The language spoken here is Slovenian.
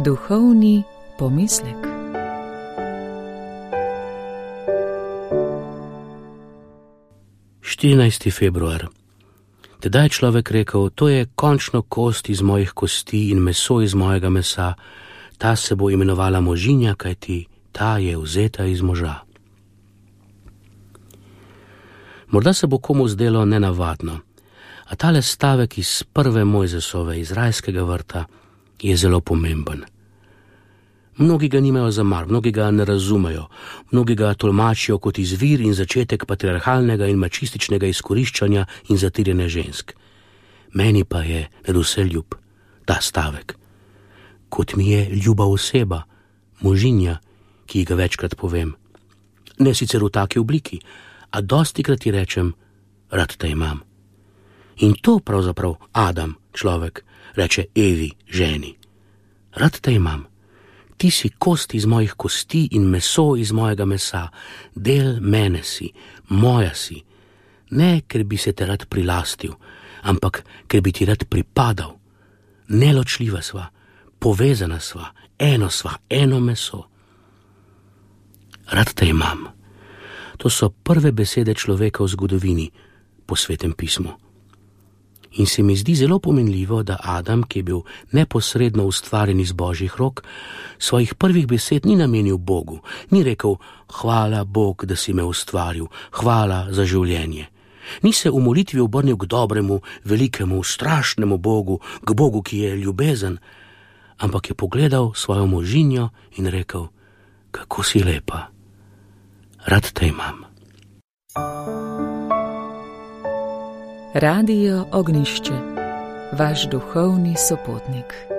Duhovni pomislek. Februar. Tedaj je človek rekel, to je končno kost iz mojih kosti in meso iz mojega mesa, ta se bo imenovala možinja, kajti ta je vzeta iz moža. Morda se bo komu zdelo nenavadno, a tale stavek iz prve Mojzesove, iz rajskega vrta, je zelo pomemben. Mnogi ga nimajo za mar, mnogi ga ne razumejo, mnogi ga tolmačijo kot izvir in začetek patriarhalnega in mačističnega izkoriščanja in zatirjanja žensk. Meni pa je nadvse ljub ta stavek, kot mi je ljuba oseba, možinja, ki ga večkrat povem. Ne sicer v taki obliki, a dostikrat ji rečem, rad te imam. In to pravzaprav Adam, človek, reče Evi, ženi. Rad te imam. Ti si kost iz mojih kosti in meso iz mojega mesa, del mene si, moja si. Ne, ker bi se te rad prilastil, ampak ker bi ti rad pripadal. Neločljiva sva, povezana sva, eno meso. Rad te imam. To so prve besede človeka v zgodovini po Svetem pismu. In se mi zdi zelo pomenljivo, da Adam, ki je bil neposredno ustvarjen iz Božjih rok, svojih prvih besed ni namenil Bogu, ni rekel, hvala Bog, da si me ustvaril, hvala za življenje. Ni se v molitvi obrnil k dobremu, velikemu, strašnemu Bogu, k Bogu, ki je ljubezen, ampak je pogledal svojo možinjo in rekel, kako si lepa, rad te imam. Radio Ognjišče, vaš duhovni sopotnik.